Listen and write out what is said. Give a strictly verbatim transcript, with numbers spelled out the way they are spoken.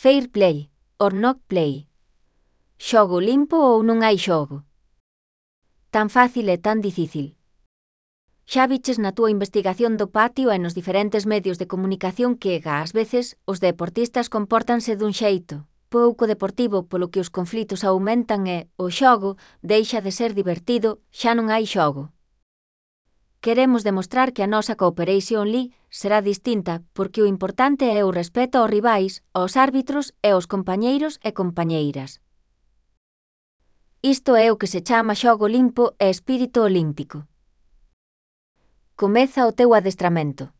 Fair play, or not play. Xogo limpo ou non hai xogo? Tan fácil e tan difícil. Xa viches na túa investigación do patio e nos diferentes medios de comunicación que, ás veces, os deportistas compórtanse dun xeito pouco deportivo polo que os conflitos aumentan e o xogo deixa de ser divertido, xa non hai xogo. Queremos demostrar que a nosa Cooperation League será distinta porque o importante é o respeto aos rivais, aos árbitros e aos compañeiros e compañeiras. Isto é o que se chama xogo limpo e espírito olímpico. Comeza o teu adestramento.